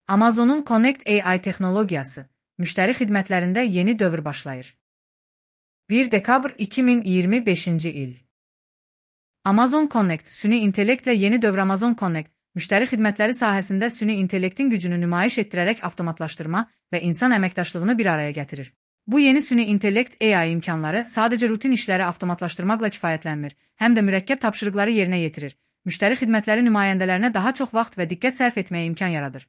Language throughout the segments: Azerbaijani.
Amazon'un Connect AI texnologiyası, müştəri xidmətlərində yeni dövr başlayır. 1 dekabr 2025-ci il. Amazon Connect, süni intellektlə yeni dövr. Amazon Connect, müştəri xidmətləri sahəsində süni intellektin gücünü nümayiş etdirərək avtomatlaşdırma və insan əməkdaşlığını bir araya gətirir. Bu yeni süni intellekt AI imkanları sadəcə rutin işləri avtomatlaşdırmaqla kifayətlənmir, həm də mürəkkəb tapşırıqları yerinə yetirir. Müştəri xidmətləri nümayəndələrinə daha çox vaxt və diqqət sərf etməyə imkan yaradır.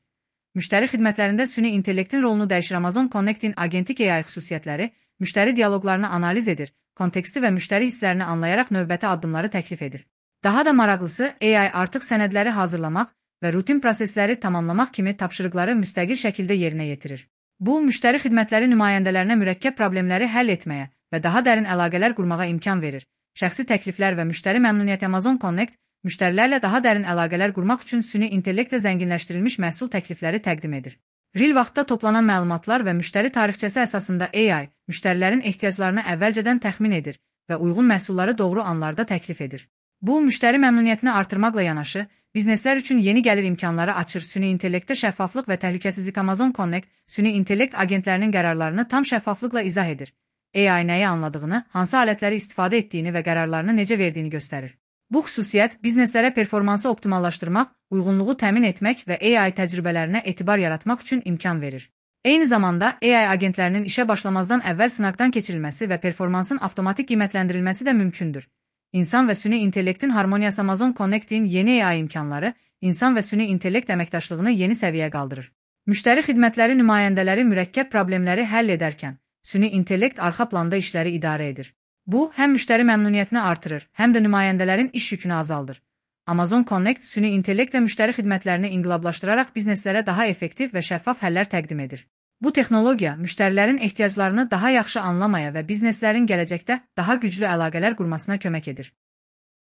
Müştəri xidmətlərində süni intellektin rolunu dəyişir. Amazon Connect'in agentik AI xüsusiyyətləri müştəri dialoqlarını analiz edir, konteksti və müştəri hisslərini anlayaraq növbəti addımları təklif edir. Daha da maraqlısı, AI artıq sənədləri hazırlamaq və rutin prosesləri tamamlamaq kimi tapşırıqları müstəqil şəkildə yerinə yetirir. Bu, müştəri xidmətləri nümayəndələrinə mürəkkəb problemləri həll etməyə və daha dərin əlaqələr qurmağa imkan verir. Şəxsi təkliflər və müştəri məmnuniyyəti. Amazon Connect, müştərilərlə daha dərin əlaqələr qurmaq üçün süni intellektlə zənginləşdirilmiş məhsul təklifləri təqdim edir. Real vaxtda toplanan məlumatlar və müştəri tarixçəsi əsasında AI, müştərilərin ehtiyaclarını əvvəlcədən təxmin edir və uyğun məhsulları doğru anlarda təklif edir. Bu, müştəri məmnuniyyətini artırmaqla yanaşı, bizneslər üçün yeni gəlir imkanları açır. Süni intellektdə şəffaflıq və təhlükəsizlik. Amazon Connect, süni intellekt agentlərinin qərarlarını tam şəffaflıqla izah edir. AI nəyi anladığını, hansı alətləri istifadə etdiyini və qərarlarını necə verdiyini göstərir. Bu xüsusiyyət bizneslərə performansı optimallaşdırmaq, uyğunluğu təmin etmək və AI təcrübələrinə etibar yaratmaq üçün imkan verir. Eyni zamanda AI agentlərinin işə başlamazdan əvvəl sınaqdan keçirilməsi və performansın avtomatik qiymətləndirilməsi də mümkündür. İnsan və süni intellektin harmoniyası. Amazon Connect'in yeni AI imkanları insan və süni intellekt əməkdaşlığını yeni səviyyəyə qaldırır. Müştəri xidmətləri nümayəndələri mürəkkəb problemləri həll edərkən, süni intellekt arxa planda işləri idarə edir. Bu, həm müştəri məmnuniyyətini artırır, həm də nümayəndələrin iş yükünü azaldır. Amazon Connect, süni intellektlə müştəri xidmətlərini inqilablaşdıraraq bizneslərə daha effektiv və şəffaf həllər təqdim edir. Bu texnologiya müştərilərin ehtiyaclarını daha yaxşı anlamaya və bizneslərin gələcəkdə daha güclü əlaqələr qurmasına kömək edir.